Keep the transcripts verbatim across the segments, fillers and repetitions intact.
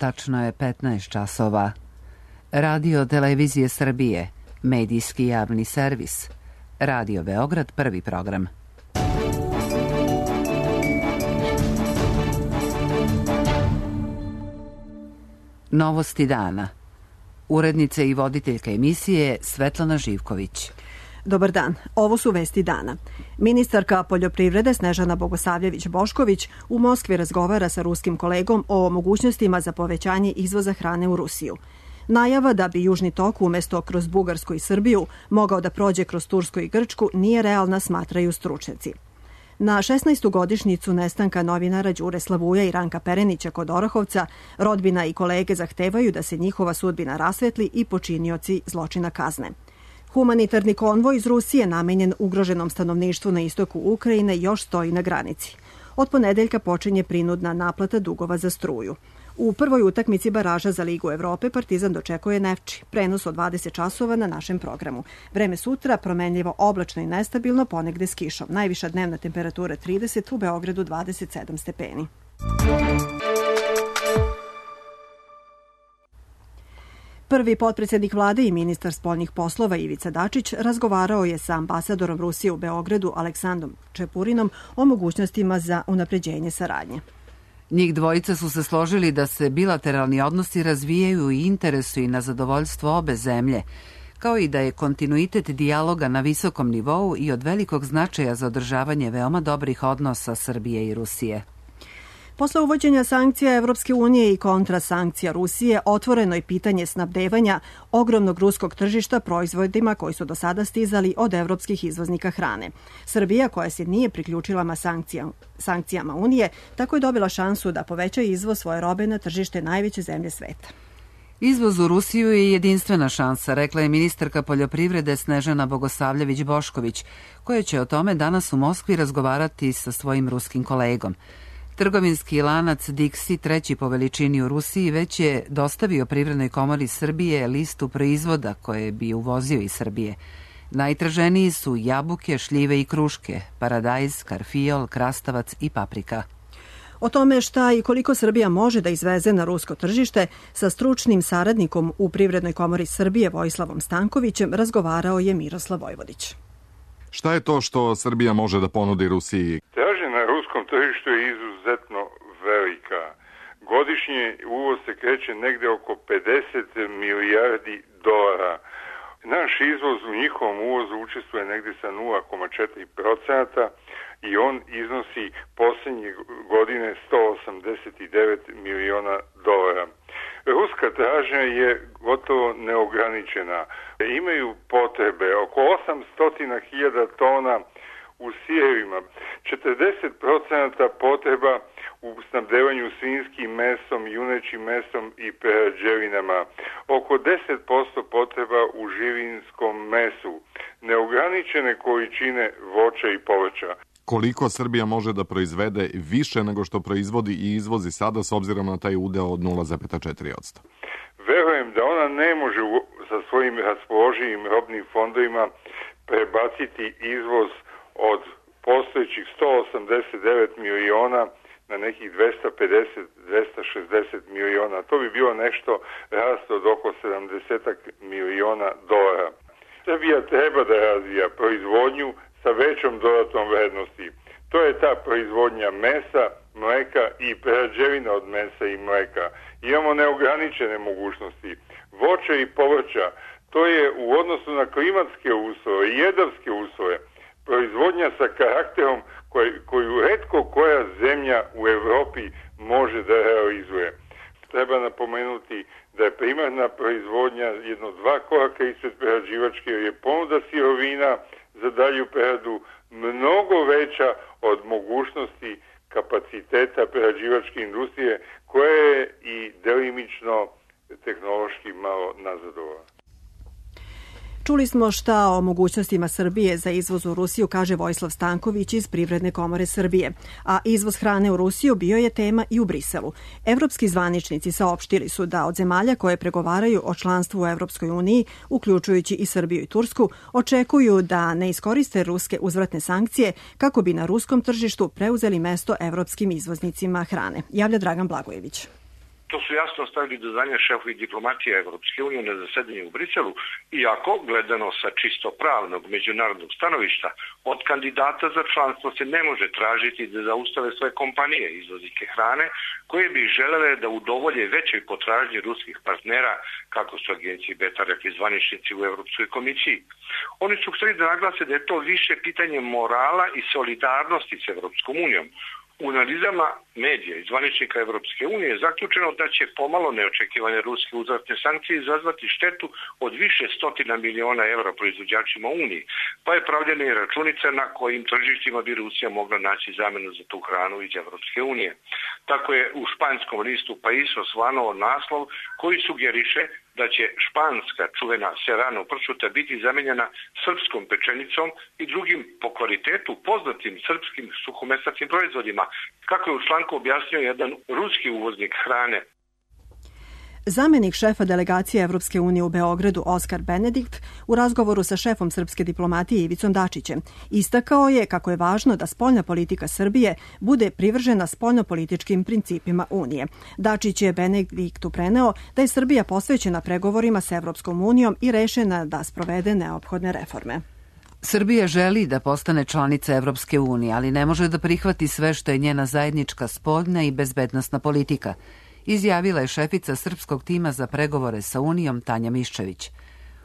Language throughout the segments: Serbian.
tačno je petnaest časova. Radio Televizije Srbije, medijski javni servis. Radio Beograd, prvi program. Novosti dana. Urednica i voditeljka emisije Svetlana Živković. Dobar dan, ovo su vesti dana. Ministarka poljoprivrede Snežana Bogosavljević-Bošković u Moskvi razgovara sa ruskim kolegom o mogućnostima za povećanje izvoza hrane u Rusiju. Najava da bi Južni tok umesto kroz Bugarsku i Srbiju mogao da prođe kroz Tursku i Grčku nije realna, smatraju stručnjaci. Na šesnaestu godišnjicu nestanka novinara Đure Slavuja i Ranka Perenića kod Orahovca, rodbina i kolege zahtevaju da se njihova sudbina rasvetli i počinioci zločina kazne. Humanitarni konvoj iz Rusije namenjen ugroženom stanovništvu na istoku Ukrajine još stoji na granici. Od ponedeljka počinje prinudna naplata dugova za struju. U prvoj utakmici baraža za Ligu Evrope Partizan dočekuje Nefči. Prenos od dvadeset časova na našem programu. Vreme sutra promenljivo oblačno i nestabilno, ponegde s kišom. Najviša dnevna temperatura trideset, u Beogradu dvadeset sedam stepeni. Prvi potpredsjednik vlade i ministar spoljnih poslova Ivica Dačić razgovarao je sa ambasadorom Rusije u Beogradu Aleksandrom Čepurinom o mogućnostima za unapređenje saradnje. Njih dvojica su se složili da se bilateralni odnosi razvijaju i interesuju na zadovoljstvo obe zemlje, kao i da je kontinuitet dijaloga na visokom nivou i od velikog značaja za održavanje veoma dobrih odnosa Srbije i Rusije. Posle uvođenja sankcija Evropske unije i kontrasankcija Rusije, otvoreno je pitanje snabdevanja ogromnog ruskog tržišta proizvodima koji su do sada stizali od evropskih izvoznika hrane. Srbija, koja se nije priključila sankcijama, sankcijama Unije, tako je dobila šansu da poveća izvoz svoje robe na tržište najveće zemlje sveta. Izvoz u Rusiju je jedinstvena šansa, rekla je ministarka poljoprivrede Snežana Bogosavljević-Bošković, koja će o tome danas u Moskvi razgovarati sa svojim ruskim kolegom. Trgovinski lanac Dixi, treći po veličini u Rusiji, već je dostavio Privrednoj komori Srbije listu proizvoda koje bi uvozio iz Srbije. Najtraženiji su jabuke, šljive i kruške, paradajz, karfiol, krastavac i paprika. O tome šta i koliko Srbija može da izveze na rusko tržište sa stručnim saradnikom u Privrednoj komori Srbije Vojislavom Stankovićem razgovarao je Miroslav Vojvodić. Šta je to što Srbija može da ponudi Rusiji? Tražnja na ruskom tržištu je izuzetno velika. Godišnje uvoz se kreće negde oko pedeset milijardi dolara. Naš izvoz u njihovom uvozu učestvuje negde sa nula zarez četiri procenta i on iznosi posljednje godine sto osamdeset devet miliona dolara. Ruska tražnja je gotovo neograničena. Imaju potrebe oko osamsto hiljada tona u sirevima, četrdeset procenta potreba u snabdevanju svinjskim mesom, junećim mesom i prerađevinama, oko deset posto potreba u živinskom mesu, neograničene količine voća i povrća. Koliko Srbija može da proizvede više nego što proizvodi i izvozi sada s obzirom na taj udeo od nula zarez četiri posto? Verujem da ona ne može sa svojim raspoloživim robnim fondovima prebaciti izvoz od postojećih sto osamdeset devet miliona na nekih dvesta pedeset do dvesta šezdeset miliona. To bi bilo nešto rast od oko sedamdeset miliona dolara. Srbija treba da razvija proizvodnju sa većom dodatnom vrednosti. To je ta proizvodnja mesa, mleka i prerađevina od mesa i mleka. Imamo neograničene mogućnosti. Voća i povrća, to je u odnosu na klimatske uslove i jedavske uslove, proizvodnja sa karakterom koj, koju retko koja zemlja u Evropi može da realizuje. Treba napomenuti da je primarna proizvodnja jedno dva koraka ispred prerađivačke, jer je ponuda sirovina za dalju preradu mnogo veća od mogućnosti kapaciteta prerađivačke industrije, koja je i delimično tehnološki malo nazadovala. Čuli smo šta o mogućnostima Srbije za izvoz u Rusiju, kaže Vojislav Stanković iz Privredne komore Srbije. A izvoz hrane u Rusiju bio je tema i u Briselu. Evropski zvaničnici saopštili su da od zemalja koje pregovaraju o članstvu u Evropskoj uniji, uključujući i Srbiju i Tursku, očekuju da ne iskoriste ruske uzvratne sankcije kako bi na ruskom tržištu preuzeli mesto evropskim izvoznicima hrane. Javlja Dragan Blagojević. To su jasno stavili do znanja šefovi diplomatije Evropske unije na zasedanju u Briselu, iako, gledano sa čisto pravnog međunarodnog stanovišta, od kandidata za članstvo se ne može tražiti da zaustave svoje kompanije izvoznike hrane, koje bi želele da udovolje većoj potražnji ruskih partnera, kako su agenciji Beta rekli zvaničnici u Evropskoj komisiji. Oni su htjeli da naglase da je to više pitanje morala i solidarnosti s Evropskom unijom. U analizama medija i zvaničnika Evropske unije je zaključeno da će pomalo neočekivane ruske uzvratne sankcije izazvati štetu od više stotina miliona evra proizvođačima Uniji, pa je pravljena i računica na kojim tržištima bi Rusija mogla naći zamenu za tu hranu iz Evropske unije. Tako je u španskom listu Pais osvanuo naslov koji sugeriše da će španska čuvena serrano pršuta biti zamenjena srpskom pečenicom i drugim po kvalitetu poznatim srpskim suhomesnatim proizvodima, kako je u članku objasnio jedan ruski uvoznik hrane. Zamenik šefa delegacije Evropske unije u Beogradu Oskar Benedikt u razgovoru sa šefom srpske diplomatije Ivicom Dačićem istakao je kako je važno da spoljna politika Srbije bude privržena spoljnopolitičkim principima Unije. Dačić je Benediktu preneo da je Srbija posvećena pregovorima sa Evropskom unijom i rešena da sprovede neophodne reforme. Srbija želi da postane članica Evropske unije, ali ne može da prihvati sve što je njena zajednička spoljna i bezbednosna politika, izjavila je šefica srpskog tima za pregovore sa Unijom Tanja Miščević.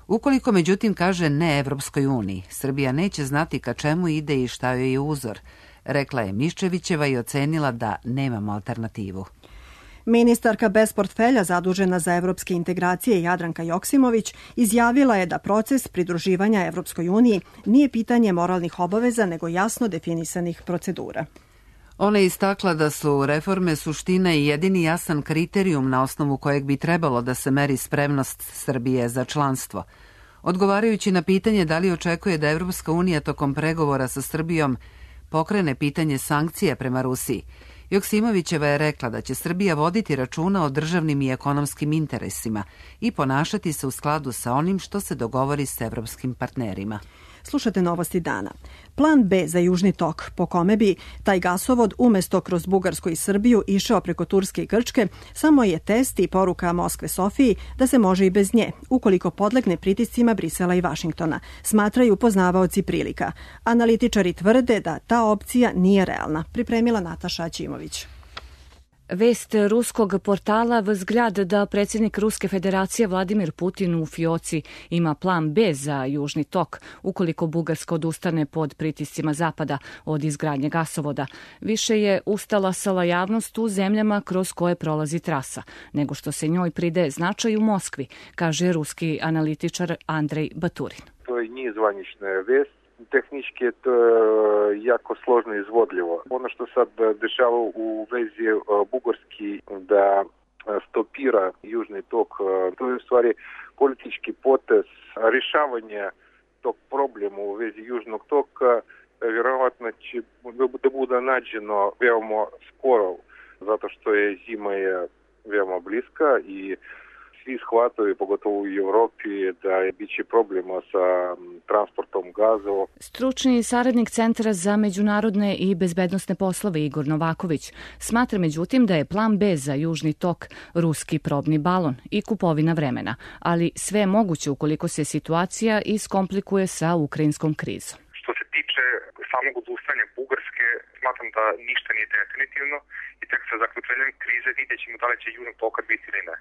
Ukoliko međutim kaže ne Evropskoj uniji, Srbija neće znati ka čemu ide i šta joj je uzor, rekla je Miščevićeva i ocenila da nemamo alternativu. Ministarka bez portfelja zadužena za evropske integracije Jadranka Joksimović izjavila je da proces pridruživanja Evropskoj uniji nije pitanje moralnih obaveza, nego jasno definisanih procedura. Ona je istakla da su reforme suština i jedini jasan kriterijum na osnovu kojeg bi trebalo da se meri spremnost Srbije za članstvo. Odgovarajući na pitanje da li očekuje da Evropska unija tokom pregovora sa Srbijom pokrene pitanje sankcija prema Rusiji, Joksimovićeva je rekla da će Srbija voditi računa o državnim i ekonomskim interesima i ponašati se u skladu sa onim što se dogovori s evropskim partnerima. Slušate novosti dana. Plan B za Južni tok, po kome bi taj gasovod umesto kroz Bugarsku i Srbiju išao preko Turske i Grčke, samo je test i poruka Moskve Sofiji da se može i bez nje, ukoliko podlegne pritiscima Brisela i Vašingtona, smatraju poznavaoci prilika. Analitičari tvrde da ta opcija nije realna, pripremila Nataša Aćimović. Vest ruskog portala Vzgljad da predsjednik Ruske federacije Vladimir Putin u fioci ima plan B za Južni tok, ukoliko Bugarska odustane pod pritiscima Zapada od izgradnje gasovoda. Više je ustalasala javnost u zemljama kroz koje prolazi trasa, nego što se njoj pridaje značaj u Moskvi, kaže ruski analitičar Andrej Baturin. To nije zvanična vest. Tehnički je to jako složno i izvodljivo. Ono što sad dešava u vezi Bugarski da stopira Južni tok, to je u stvari politički potez rješavanja tog problema u vezi Južnog toka, vjerovatno će da bude nađeno veoma skoro, zato što je zima je veoma bliska i svi shvataju, pogotovo u Evropi, da je biće problema sa transportom gazova. Stručni saradnik Centra za međunarodne i bezbednosne poslove Igor Novaković smatra međutim da je plan B za Južni tok ruski probni balon i kupovina vremena, ali sve je moguće ukoliko se situacija iskomplikuje sa ukrajinskom krizom. Što se tiče samog odustanja Bugarske, smatram da ništa nije definitivno i tek sa zaključenjem krize vidjet ćemo da li će Južnog toka biti ili ne.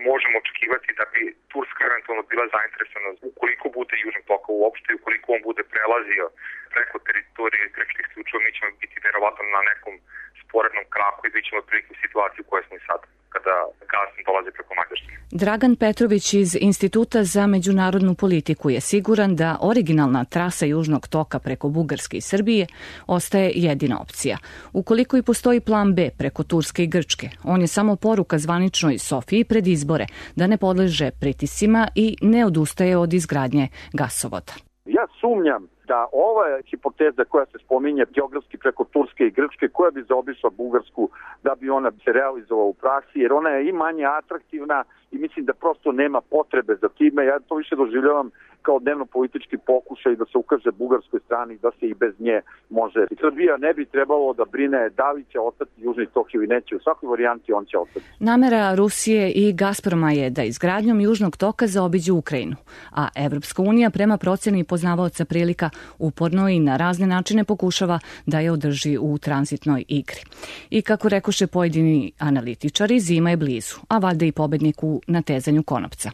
Možemo očekivati da bi Turska eventualno bila zainteresovana ukoliko bude Južnog toka uopšte i ukoliko on bude prelazio preko teritorije grčkih isključivo, mi ćemo biti verovatno na nekom sporednom kraku i bit ćemo otprilike u situaciji u kojoj smo i sad, kada gas dolazi preko Mađarske. Dragan Petrović iz Instituta za međunarodnu politiku je siguran da originalna trasa Južnog toka preko Bugarske i Srbije ostaje jedina opcija. Ukoliko i postoji plan B preko Turske i Grčke, on je samo poruka zvaničnoj Sofiji pred izbore da ne podleže pritiscima i ne odustaje od izgradnje gasovoda. Ja sumnjam da ova hipoteza koja se spominje geografski preko Turske i Grčke, koja bi zaobišla Bugarsku da bi ona se realizovala u praksi, jer ona je i manje atraktivna i mislim da prosto nema potrebe za time. Ja to više doživljavam kao dnevno politički pokušaj da se ukaže bugarskoj strani da se i bez nje može. Srbija ne bi trebalo da brine da li će ostati Južni tok ili neće. U svakoj varijanti on će ostati. Namera Rusije i Gazproma je da izgradnjom Južnog toka zaobiđu Ukrajinu, a Evropska unija prema proceni poznavaoca prilika uporno i na razne načine pokušava da je održi u tranzitnoj igri. I kako rekoše pojedini analitičari, zima je blizu, a valjda i pobednik u natezanju konopca.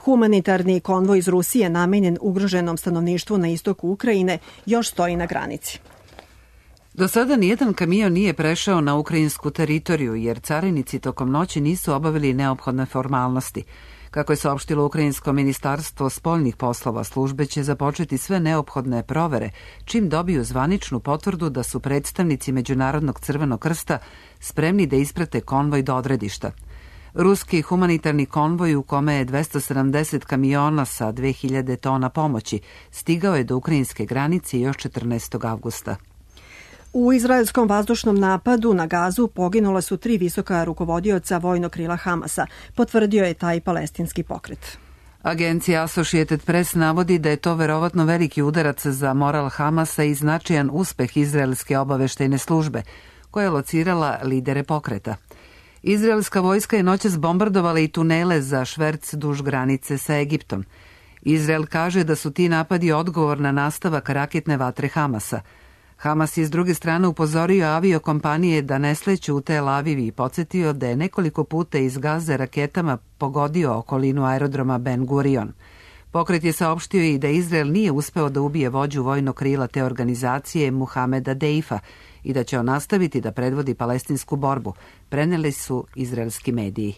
Humanitarni konvoj iz Rusije namenjen ugroženom stanovništvu na istoku Ukrajine još stoji na granici. Do sada nijedan kamion nije prešao na ukrajinsku teritoriju jer carinici tokom noći nisu obavili neophodne formalnosti. Kako je saopštilo Ukrajinsko ministarstvo spoljnih poslova, službe će započeti sve neophodne provere čim dobiju zvaničnu potvrdu da su predstavnici Međunarodnog crvenog krsta spremni da isprate konvoj do odredišta. Ruski humanitarni konvoj u kome je dvesta sedamdeset kamiona sa dve hiljade tona pomoći stigao je do ukrajinske granice još četrnaestog avgusta. U izraelskom vazdušnom napadu na Gazu poginula su tri visoka rukovodioca vojnog krila Hamasa, potvrdio je taj palestinski pokret. Agencija Associated Press navodi da je to verovatno veliki udarac za moral Hamasa i značajan uspeh izraelske obaveštajne službe, koja je locirala lidere pokreta. Izraelska vojska je noćas bombardovala i tunele za šverc duž granice sa Egiptom. Izrael kaže da su ti napadi odgovor na nastavak raketne vatre Hamasa. Hamas je s druge strane upozorio aviokompanije da ne sleću u Tel Aviv i podsjetio da je nekoliko puta iz Gaze raketama pogodio okolinu aerodroma Ben Gurion. Pokret je saopštio i da Izrael nije uspeo da ubije vođu vojnog krila te organizacije Muhameda Deifa i da će on nastaviti da predvodi palestinsku borbu, preneli su izraelski mediji.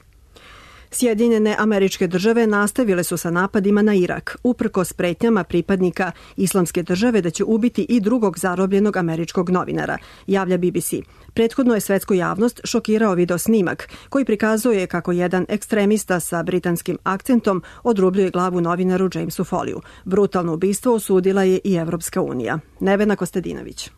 Sjedinjene Američke Države nastavile su sa napadima na Irak, uprkos pretnjama pripadnika Islamske države da će ubiti i drugog zarobljenog američkog novinara, javlja B B C. Prethodno je svetsku javnost šokirao video snimak koji prikazuje kako jedan ekstremista sa britanskim akcentom odrubljuje glavu novinaru Jamesu Foliju. Brutalno ubistvo osudila je i Evropska unija. Nevena Kostadinović.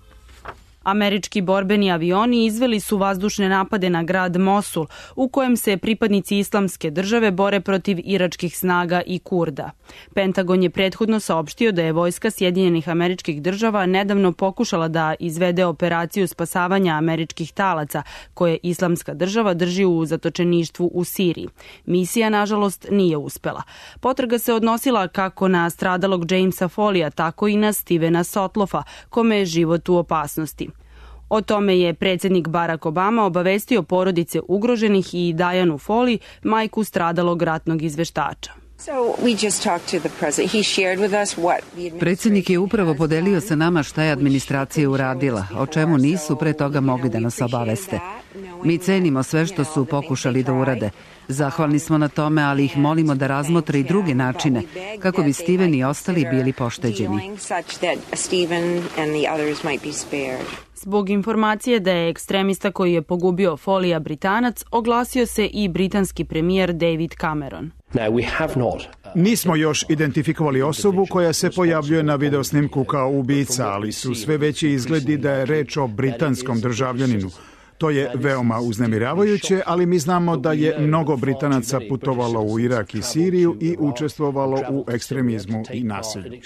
Američki borbeni avioni izveli su vazdušne napade na grad Mosul, u kojem se pripadnici Islamske države bore protiv iračkih snaga i Kurda. Pentagon je prethodno saopštio da je vojska Sjedinjenih Američkih Država nedavno pokušala da izvede operaciju spasavanja američkih talaca, koje Islamska država drži u zatočeništvu u Siriji. Misija, nažalost, nije uspela. Potraga se odnosila kako na stradalog Jamesa Folija, tako i na Stevena Sotlofa, kome je život u opasnosti. O tome je predsjednik Barack Obama obavestio porodice ugroženih i Dianu Foley, majku stradalog ratnog izveštača. Predsjednik je upravo podelio sa nama šta je administracija uradila, o čemu nisu pre toga mogli da nas obaveste. Mi cenimo sve što su pokušali da urade. Zahvalni smo na tome, ali ih molimo da razmotre i druge načine kako bi Steven i ostali bili pošteđeni. Zbog informacije da je ekstremista koji je pogubio Folija Britanac, oglasio se i britanski premijer David Cameron. Nismo još identifikovali osobu koja se pojavljuje na videosnimku kao ubica, ali su sve veći izgledi da je reč o britanskom državljaninu. To je veoma uznemiravajuće, ali mi znamo da je mnogo Britanaca putovalo u Irak i Siriju i učestvovalo u ekstremizmu i nasilju.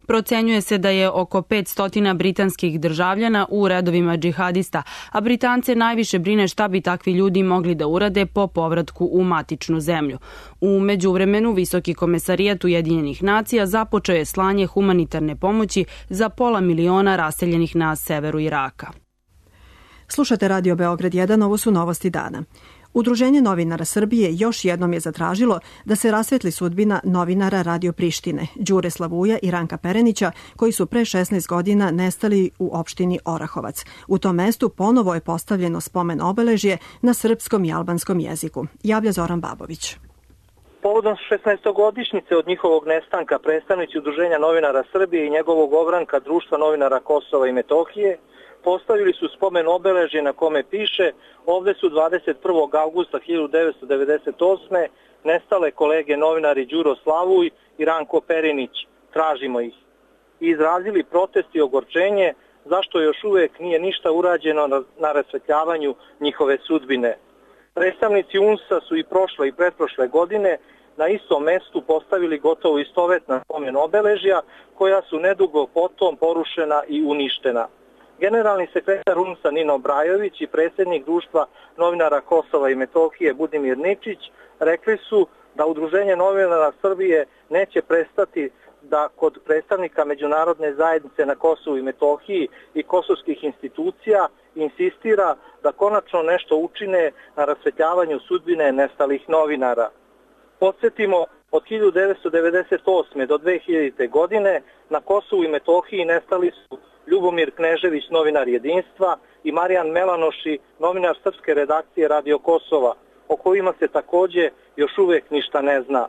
Procenjuje se da je oko petsto britanskih državljana u redovima džihadista, a Britance najviše brine šta bi takvi ljudi mogli da urade po povratku u matičnu zemlju. U međuvremenu, Visoki komesarijat Ujedinjenih nacija započeo je slanje humanitarne pomoći za pola miliona raseljenih na severu Iraka. Slušate Radio Beograd jedan, ovo su novosti dana. Udruženje novinara Srbije još jednom je zatražilo da se rasvetli sudbina novinara Radio Prištine, Đure Slavuja i Ranka Perenića, koji su pre šesnaest godina nestali u opštini Orahovac. U tom mestu ponovo je postavljeno spomen obeležje na srpskom i albanskom jeziku. Javlja Zoran Babović. Povodom šesnaestogodišnjice od njihovog nestanka, predstavnici Udruženja novinara Srbije i njegovog ogranka Društva novinara Kosova i Metohije postavili su spomen obeležje na kome piše: ovde su dvadeset prvog avgusta hiljadu devetsto devedeset osme nestale kolege novinari Đuro Slavuj i Ranko Perinić, tražimo ih. I izrazili protest i ogorčenje zašto još uvek nije ništa urađeno na, na rasvetljavanju njihove sudbine. Predstavnici U N S A su i prošle i pretprošle godine na istom mestu postavili gotovo istovetna spomen obeležja koja su nedugo potom porušena i uništena. Generalni sekretar U N S A Nino Brajović i predsjednik društva novinara Kosova i Metohije Budimir Ničić rekli su da Udruženje novinara Srbije neće prestati da kod predstavnika međunarodne zajednice na Kosovu i Metohiji i kosovskih institucija insistira da konačno nešto učine na rasvetljavanju sudbine nestalih novinara. Podsjetimo, od hiljadu devetsto devedeset osme do dve hiljadite. godine na Kosovu i Metohiji nestali su Ljubomir Knežević, novinar Jedinstva, i Marijan Melanoši, novinar srpske redakcije Radio Kosova, o kojima se takođe još uvek ništa ne zna.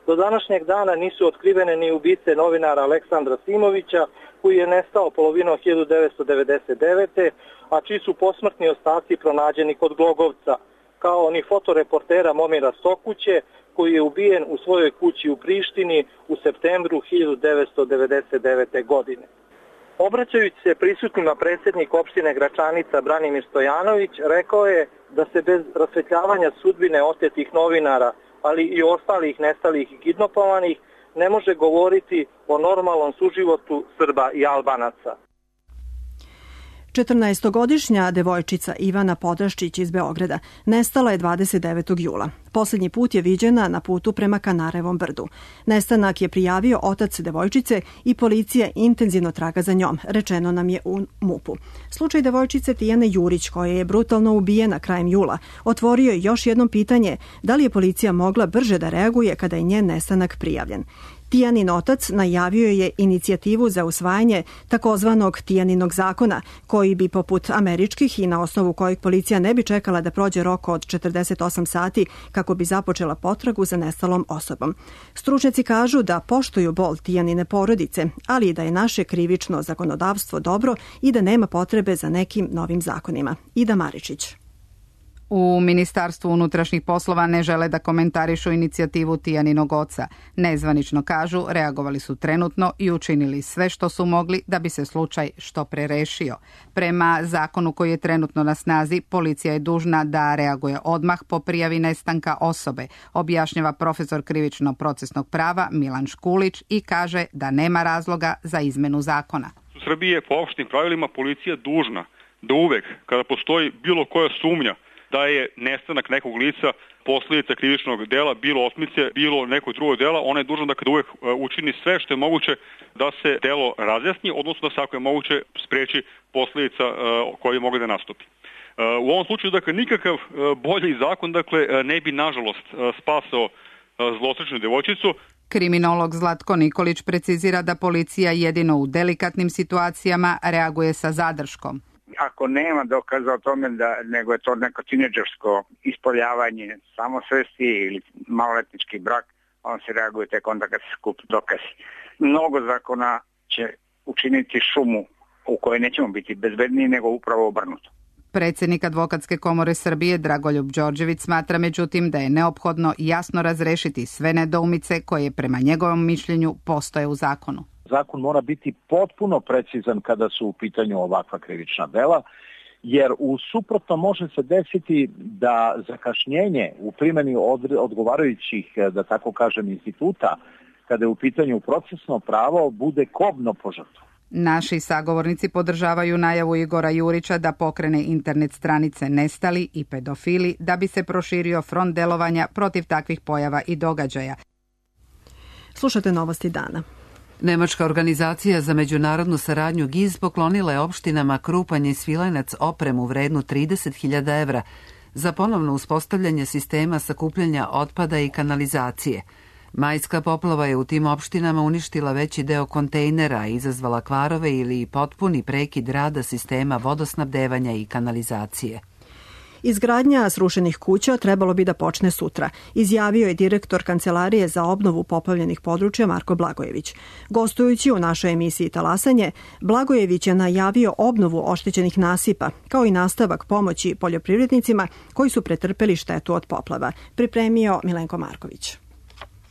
Do današnjeg dana nisu otkrivene ni ubice novinara Aleksandra Simovića, koji je nestao polovinom hiljadu devetsto devedeset devete. a čiji su posmrtni ostaci pronađeni kod Glogovca, kao ni fotoreportera Momira Stokuće, koji je ubijen u svojoj kući u Prištini u septembru hiljadu devetsto devedeset devete. godine. Obraćajući se prisutnima predsjednik opštine Gračanica Branimir Stojanović rekao je da se bez rasvetljavanja sudbine otetih novinara, ali i ostalih nestalih i kidnapovanih, ne može govoriti o normalnom suživotu Srba i Albanaca. četrnaestogodišnja devojčica Ivana Podaščić iz Beograda nestala je dvadeset devetog jula. Poslednji put je viđena na putu prema Kanarevom brdu. Nestanak je prijavio otac devojčice i policija intenzivno traga za njom, rečeno nam je u MUP-u. Slučaj devojčice Tijane Jurić, koja je brutalno ubijena krajem jula, otvorio je još jedno pitanje da li je policija mogla brže da reaguje kada je njen nestanak prijavljen. Tijanin otac najavio je inicijativu za usvajanje takozvanog Tijaninog zakona, koji bi poput američkih i na osnovu kojeg policija ne bi čekala da prođe rok od četrdeset osam sati kako bi započela potragu za nestalom osobom. Stručnjaci kažu da poštuju bol Tijanine porodice, ali i da je naše krivično zakonodavstvo dobro i da nema potrebe za nekim novim zakonima. Ida Maričić. U Ministarstvu unutrašnjih poslova ne žele da komentarišu inicijativu Tijaninog oca. Nezvanično kažu, reagovali su trenutno i učinili sve što su mogli da bi se slučaj što pre rešio. Prema zakonu koji je trenutno na snazi, policija je dužna da reaguje odmah po prijavi nestanka osobe, objašnjava profesor krivično-procesnog prava Milan Škulić i kaže da nema razloga za izmenu zakona. U Srbiji je po opštim pravilima policija dužna da uvek, kada postoji bilo koja sumnja da je nestanak nekog lica posljedica krivičnog dela, bilo otmice, bilo nekog drugog dela, ona je dužna da kada uvek učini sve što je moguće da se delo razjasni, odnosno da se ako je moguće spreči posljedica koje mogu da nastupi. U ovom slučaju, dakle, nikakav bolji zakon, dakle, ne bi, nažalost, spasao zločinačnu devojčicu. Kriminolog Zlatko Nikolić precizira da policija jedino u delikatnim situacijama reaguje sa zadrškom. Ako nema dokaza o tome da nego je to neko tineđersko ispoljavanje samosvesti ili maloletnički brak, on se reaguje tek onda kad se skupi dokazi. Mnogo zakona će učiniti šumu u kojoj nećemo biti bezbedniji nego upravo obrnuto. Predsjednik Advokatske komore Srbije Dragoljub Đorđević smatra međutim da je neophodno jasno razrešiti sve nedoumice koje prema njegovom mišljenju postoje u zakonu. Zakon mora biti potpuno precizan kada su u pitanju ovakva krivična dela, jer u suprotno može se desiti da zakašnjenje u primjeni odgovarajućih, da tako kažem, instituta, kada je u pitanju procesno pravo, bude kobno po žrtvu. Naši sagovornici podržavaju najavu Igora Jurića da pokrene internet stranice Nestali i pedofili da bi se proširio front delovanja protiv takvih pojava i događaja. Slušate novosti dana. Nemačka organizacija za međunarodnu saradnju G I Z poklonila je opštinama Krupanj i Svilajnac opremu vrednu trideset hiljada evra za ponovno uspostavljanje sistema sakupljanja otpada i kanalizacije. Majska poplava je u tim opštinama uništila veći deo kontejnera i izazvala kvarove ili potpuni prekid rada sistema vodosnabdevanja i kanalizacije. Izgradnja srušenih kuća trebalo bi da počne sutra, izjavio je direktor Kancelarije za obnovu poplavljenih područja Marko Blagojević. Gostujući u našoj emisiji Talasanje, Blagojević je najavio obnovu oštećenih nasipa, kao i nastavak pomoći poljoprivrednicima koji su pretrpeli štetu od poplava, pripremio Milenko Marković.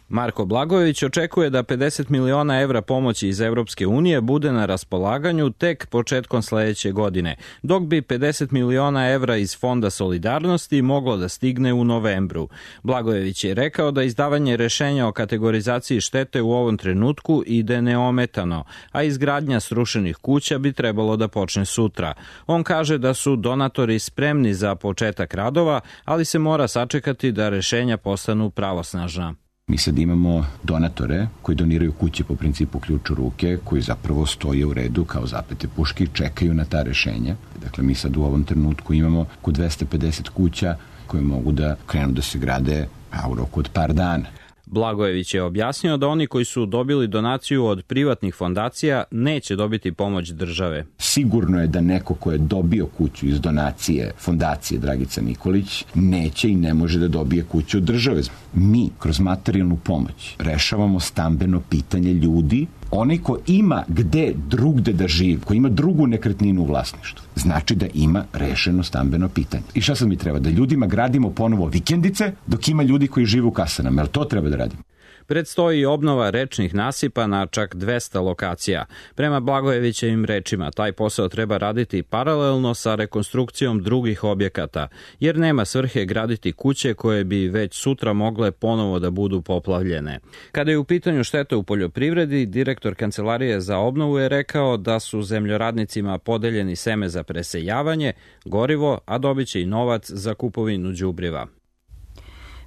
Marko Blagojević očekuje da pedeset miliona evra pomoći iz Evropske unije bude na raspolaganju tek početkom sledeće godine, dok bi pedeset miliona evra iz Fonda solidarnosti moglo da stigne u novembru. Blagojević je rekao da izdavanje rešenja o kategorizaciji štete u ovom trenutku ide neometano, a izgradnja srušenih kuća bi trebalo da počne sutra. On kaže da su donatori spremni za početak radova, ali se mora sačekati da rešenja postanu pravosnažna. Mi sad imamo donatore koji doniraju kuće po principu ključ u ruke, koji zapravo stoje u redu kao zapete puške i čekaju na ta rešenja. Dakle, mi sad u ovom trenutku imamo oko dvesta pedeset kuća koje mogu da krenu da se grade u roku od par dana. Blagojević je objasnio da oni koji su dobili donaciju od privatnih fondacija neće dobiti pomoć države. Sigurno je da neko ko je dobio kuću iz donacije fondacije Dragica Nikolić neće i ne može da dobije kuću od države. Mi kroz materijalnu pomoć rešavamo stambeno pitanje ljudi. Onaj ko ima gde drugde da živi, ko ima drugu nekretninu u vlasništvu, znači da ima rešeno stambeno pitanje. I šta sad mi treba? Da ljudima gradimo ponovo vikendice dok ima ljudi koji žive u kasanama. Jel to treba da radimo? Predstoji obnova rečnih nasipa na čak dvesta lokacija. Prema Blagojevićevim rečima, taj posao treba raditi paralelno sa rekonstrukcijom drugih objekata, jer nema svrhe graditi kuće koje bi već sutra mogle ponovo da budu poplavljene. Kada je u pitanju šteta u poljoprivredi, direktor Kancelarije za obnovu je rekao da su zemljoradnicima podeljeni seme za presejavanje, gorivo, a dobit će i novac za kupovinu đubriva.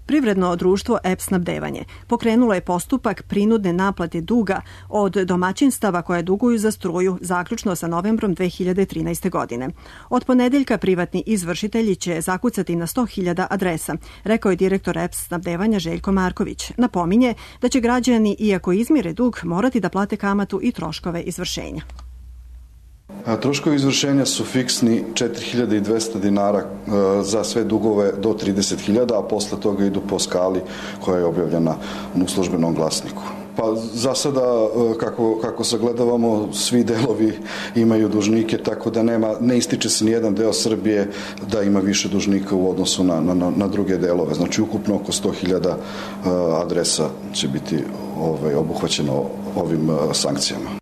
Privredno društvo E P snabdevanje pokrenulo je postupak prinudne naplate duga od domaćinstava koje duguju za struju zaključno sa novembrom dve hiljade trinaeste. godine. Od ponedeljka privatni izvršitelji će zakucati na sto hiljada adresa, rekao je direktor E P snabdevanja Željko Marković. Napominje da će građani, iako izmire dug, morati da plate kamatu i troškove izvršenja. A troškovi izvršenja su fiksni četiri hiljade dvesta dinara za sve dugove do trideset hiljada, a posle toga idu po skali koja je objavljena u službenom glasniku. Pa za sada, kako, kako sagledavamo, svi delovi imaju dužnike, tako da nema, ne ističe se ni jedan deo Srbije da ima više dužnika u odnosu na, na, na druge delove. Znači, ukupno oko sto hiljada adresa će biti ovaj, obuhvaćeno ovim sankcijama.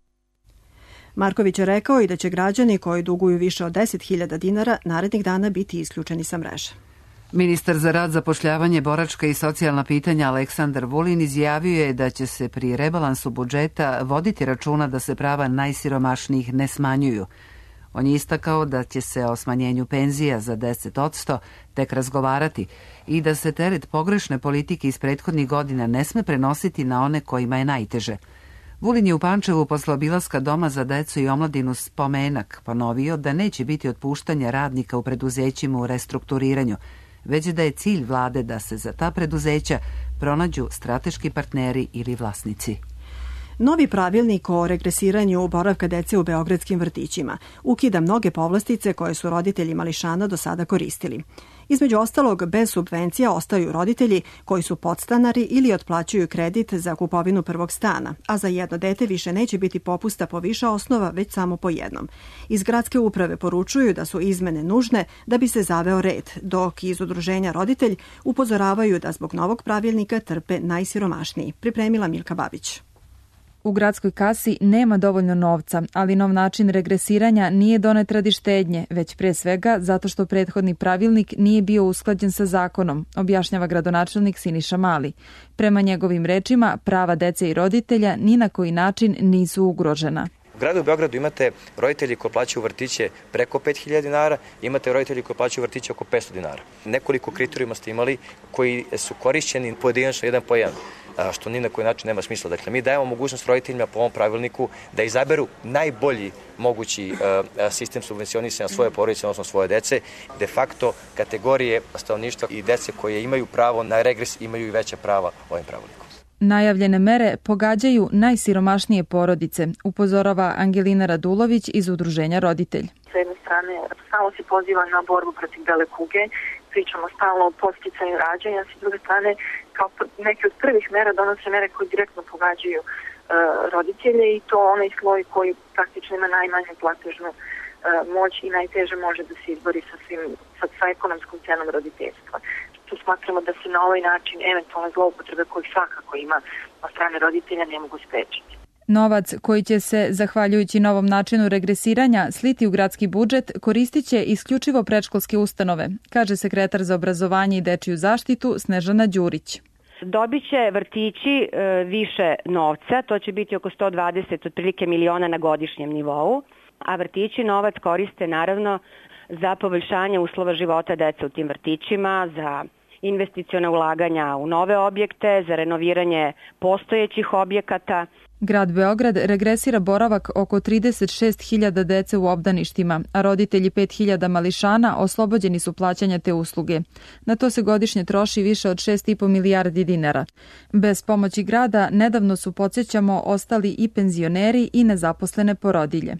Marković je rekao i da će građani koji duguju više od deset hiljada dinara narednih dana biti isključeni sa mreže. Ministar za rad, zapošljavanje, boračka i socijalna pitanja Aleksandar Vulin izjavio je da će se pri rebalansu budžeta voditi računa da se prava najsiromašnijih ne smanjuju. On je istakao da će se o smanjenju penzija za deset posto tek razgovarati i da se teret pogrešne politike iz prethodnih godina ne sme prenositi na one kojima je najteže. Vulin je u Pančevu posle obilaska Doma za decu i omladinu Spomenak ponovio da neće biti otpuštanja radnika u preduzećima u restrukturiranju, već da je cilj vlade da se za ta preduzeća pronađu strateški partneri ili vlasnici. Novi pravilnik o regresiranju boravka dece u beogradskim vrtićima ukida mnoge povlastice koje su roditelji mališana do sada koristili. Između ostalog, bez subvencija ostaju roditelji koji su podstanari ili otplaćuju kredit za kupovinu prvog stana, a za jedno dete više neće biti popusta po više osnova, već samo po jednom. Iz gradske uprave poručuju da su izmene nužne da bi se zaveo red, dok iz udruženja Roditelj upozoravaju da zbog novog pravilnika trpe najsiromašniji. Pripremila Milka Babić. U gradskoj kasi nema dovoljno novca, ali nov način regresiranja nije donet radi štednje, već pre svega zato što prethodni pravilnik nije bio usklađen sa zakonom, objašnjava gradonačelnik Siniša Mali. Prema njegovim rečima, prava dece i roditelja ni na koji način nisu ugrožena. U gradu Beogradu imate roditelji koji plaćaju vrtiće preko pet hiljada dinara, imate roditelji koji plaćaju vrtiće oko petsto dinara. Nekoliko kriterijuma ste imali koji su korišćeni pojedinačno jedan po jedan, što ni na koji način nema smisla. Dakle, mi dajemo mogućnost roditeljima po ovom pravilniku da izaberu najbolji mogući sistem subvencionisanja svoje porodice, odnosno svoje dece. De facto, kategorije stanovništva i dece koje imaju pravo na regres imaju i veća prava ovim pravilnikom. Najavljene mere pogađaju najsiromašnije porodice, upozorava Angelina Radulović iz udruženja Roditelj. S jedne strane, stalno se poziva na borbu protiv bele kuge, pričamo stalno o podsticanju rađanja, s druge strane, kao neke od prvih mera donose mere koje direktno pogađaju e, roditelje i to onaj sloj koji praktično ima najmanju platežnu e, moć i najteže može da se izbori sa, svim, sa, sa ekonomskom cenom roditeljstva. Tu smatramo da se na ovaj način eventualne zloupotrebe koje svakako ima od strane roditelja ne mogu sprečiti. Novac koji će se, zahvaljujući novom načinu regresiranja, sliti u gradski budžet, koristit će isključivo predškolske ustanove, kaže sekretar za obrazovanje i dečiju zaštitu Snežana Đurić. Dobit će vrtići e, više novca, to će biti oko sto dvadeset otprilike miliona na godišnjem nivou, a vrtići novac koriste naravno za poboljšanje uslova života dece u tim vrtićima, za investicione ulaganja u nove objekte, za renoviranje postojećih objekata. Grad Beograd regresira boravak oko trideset šest hiljada dece u obdaništima, a roditelji pet hiljada mališana oslobođeni su plaćanja te usluge. Na to se godišnje troši više od šest i po milijardi dinara. Bez pomoći grada nedavno su, podsjećamo, ostali i penzioneri i nezaposlene porodilje.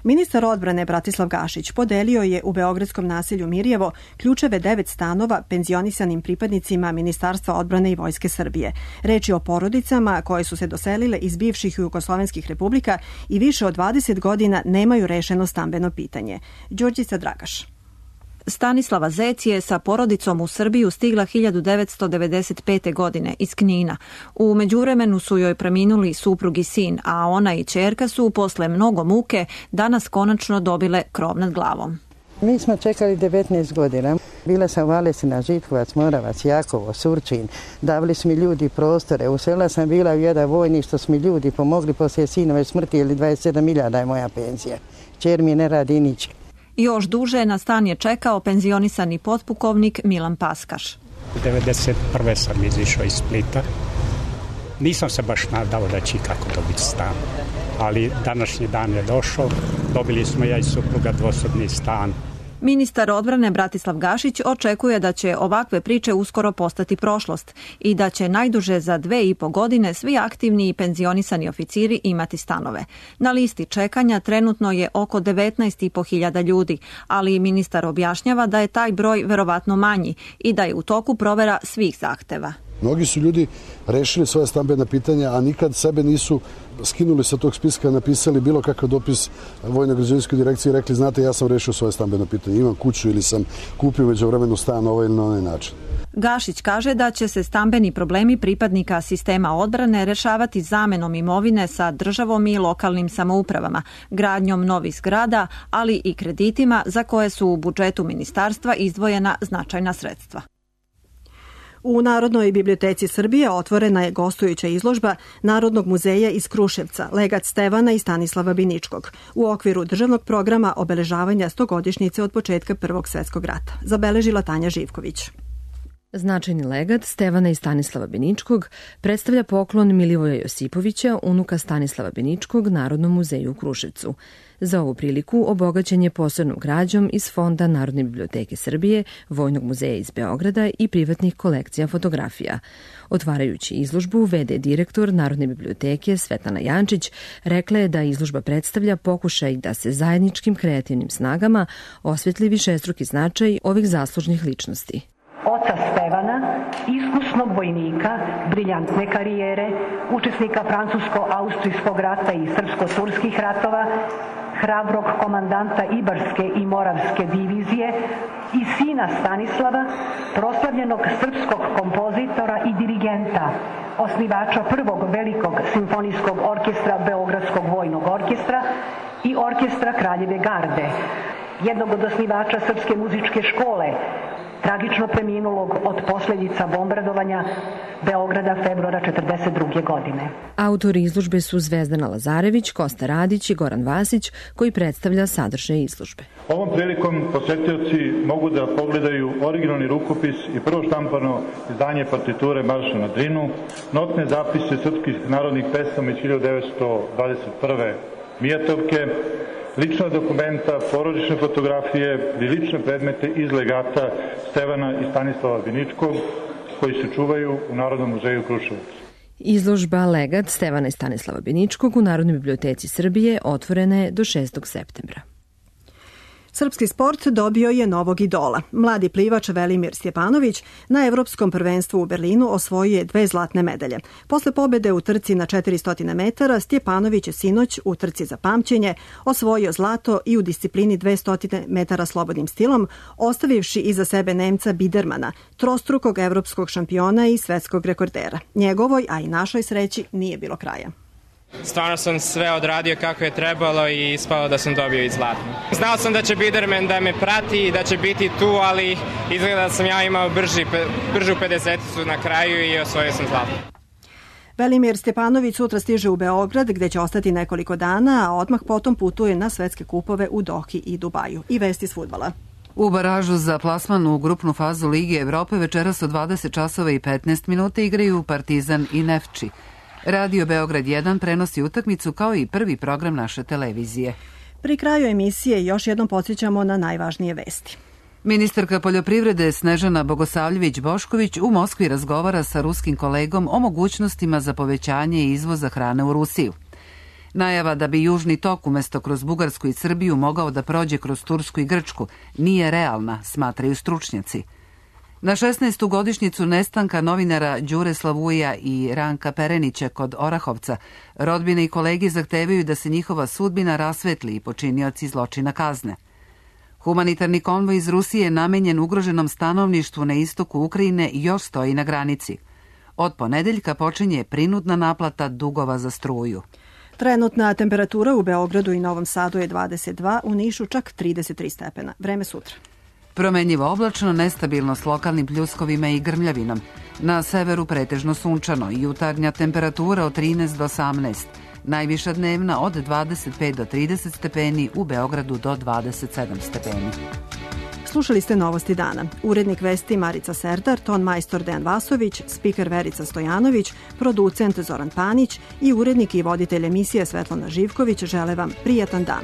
Ministar odbrane Bratislav Gašić podelio je u beogradskom naselju Mirjevo ključeve devet stanova penzionisanim pripadnicima Ministarstva odbrane i Vojske Srbije. Reč je o porodicama koje su se doselile iz bivših jugoslovenskih republika i više od dvadeset godina nemaju rešeno stambeno pitanje. Đorđica Dragaš. Stanislava Zec je sa porodicom u Srbiju stigla hiljadu devetsto devedeset pete. godine iz Knina. U međuvremenu su joj preminuli suprug i sin, a ona i ćerka su posle mnogo muke danas konačno dobile krov nad glavom. Mi smo čekali devetnaest godina. Bila sam u Valesina, Žitkovac, Moravac, Jakovo, Surčin. Davali su mi ljudi prostore. U sela sam bila u jedan vojni što su mi ljudi pomogli poslije sinove smrti, ili dvadeset sedam hiljada je moja penzija. Čer mi ne radi nič. Još duže na stan je čekao penzionisani potpukovnik Milan Paskaš. devedeset prve sam izišao iz Splita. Nisam se baš nadao da će kako dobiti stan, ali današnji dan je došao. Dobili smo ja i supruga dvosobni stan. Ministar odbrane Bratislav Gašić očekuje da će ovakve priče uskoro postati prošlost i da će najduže za dve i po godine svi aktivni i penzionisani oficiri imati stanove. Na listi čekanja trenutno je oko devetnaest i po hiljada ljudi, ali ministar objašnjava da je taj broj verovatno manji i da je u toku provera svih zahteva. Mnogi su ljudi rešili svoje stambena pitanja, a nikad sebe nisu skinuli sa tog spiska, napisali bilo kakav dopis Vojno-građevinskoj direkciji i rekli, znate, ja sam rešio svoje stambeno pitanje, imam kuću ili sam kupio međuvremenu stan na ovaj ili na onaj način. Gašić kaže da će se stambeni problemi pripadnika sistema odbrane rešavati zamenom imovine sa državom i lokalnim samoupravama, gradnjom novih zgrada, ali i kreditima za koje su u budžetu ministarstva izdvojena značajna sredstva. U Narodnoj biblioteci Srbije otvorena je gostujuća izložba Narodnog muzeja iz Kruševca, Legat Stevana i Stanislava Biničkog, u okviru državnog programa obeležavanja stogodišnjice od početka Prvog svjetskog rata, zabeležila Tanja Živković. Značajni legat Stevana i Stanislava Biničkog predstavlja poklon Milivoja Josipovića, unuka Stanislava Biničkog, Narodnom muzeju u Kruševcu. Za ovu priliku obogaćen je posebnom građom iz Fonda Narodne biblioteke Srbije, Vojnog muzeja iz Beograda i privatnih kolekcija fotografija. Otvarajući izložbu, ve de direktor Narodne biblioteke Svetlana Jančić rekla je da izložba predstavlja pokušaj da se zajedničkim kreativnim snagama osvetli višestruki značaj ovih zaslužnih ličnosti. Oca Stevana, iskusnog vojnika, briljantne karijere, učesnika francusko-austrijskog rata i srpsko-turskih ratova, hrabrog komandanta Ibarske i Moravske divizije i sina Stanislava, proslavljenog srpskog kompozitora i dirigenta, osnivača prvog velikog simfonijskog orkestra Beogradskog vojnog orkestra i orkestra Kraljeve garde, jednog od osnivača Srpske muzičke škole, tragično preminulog od posljedica bombardovanja Beograda februara četrdeset druge. godine. Autori izložbe su Zvezdana Lazarević, Kosta Radić i Goran Vasić, koji predstavlja sadržaj izložbe. Ovom prilikom posetioci mogu da pogledaju originalni rukopis i prvo štampano izdanje partiture Marša na Drinu, notne zapise srpskih narodnih pesama iz hiljadu devetsto dvadeset prve. Mijatovke, lična dokumenta, porodične fotografije i lične predmete iz legata Stevana i Stanislava Biničkog, koji se čuvaju u Narodnom muzeju Kruševac. Izložba Legat Stevana i Stanislava Biničkog u Narodnoj biblioteci Srbije otvorena je do šestog septembra. Srpski sport dobio je novog idola. Mladi plivač Velimir Stjepanović na Evropskom prvenstvu u Berlinu osvojio je dve zlatne medalje. Posle pobede u trci na četiristo metara, Stjepanović je sinoć u trci za pamćenje osvojio zlato i u disciplini dvesta metara slobodnim stilom, ostavivši iza sebe Nemca Bidermana, trostrukog evropskog šampiona i svetskog rekordera. Njegovoj, a i našoj sreći, nije bilo kraja. Stvarno sam sve odradio kako je trebalo i ispalo da sam dobio i zlatno. Znao sam da će Biderman da me prati i da će biti tu, ali izgleda da sam ja imao brži, bržu pedeseticu na kraju i osvojio sam zlatno. Velimir Stjepanović sutra stiže u Beograd gde će ostati nekoliko dana, a odmah potom putuje na svetske kupove u Dohi i Dubaju. I vesti s fudbala. U baražu za plasman u grupnu fazu Lige Evrope večeras od dvadeset časova i petnaest minuta igraju Partizan i Nefči. Radio Beograd jedan prenosi utakmicu kao i prvi program naše televizije. Pri kraju emisije još jednom podsjećamo na najvažnije vesti. Ministarka poljoprivrede Snežana Bogosavljević-Bošković u Moskvi razgovara sa ruskim kolegom o mogućnostima za povećanje izvoza hrane u Rusiju. Najava da bi Južni tok umesto kroz Bugarsku i Srbiju mogao da prođe kroz Tursku i Grčku nije realna, smatraju stručnjaci. Na šesnaestu godišnjicu nestanka novinara Đure Slavuja i Ranka Perenića kod Orahovca, rodbine i kolegi zahtevaju da se njihova sudbina rasvetli i počinioci zločina kazne. Humanitarni konvoj iz Rusije namenjen ugroženom stanovništvu na istoku Ukrajine još stoji na granici. Od ponedeljka počinje prinudna naplata dugova za struju. Trenutna temperatura u Beogradu i Novom Sadu je dvadeset dva, u Nišu čak trideset tri stepena. Vreme sutra. Promenljivo oblačno, nestabilno s lokalnim pljuskovima i grmljavinom. Na severu pretežno sunčano i jutarnja temperatura od trinaest do osamnaest. Najviša dnevna od dvadeset pet do trideset stepeni, u Beogradu do dvadeset sedam stepeni. Slušali ste Novosti dana. Urednik vesti Marica Serdar, ton majstor Dejan Vasović, spiker Verica Stojanović, producent Zoran Panić i urednik i voditelj emisije Svetlana Živković žele vam prijatan dan.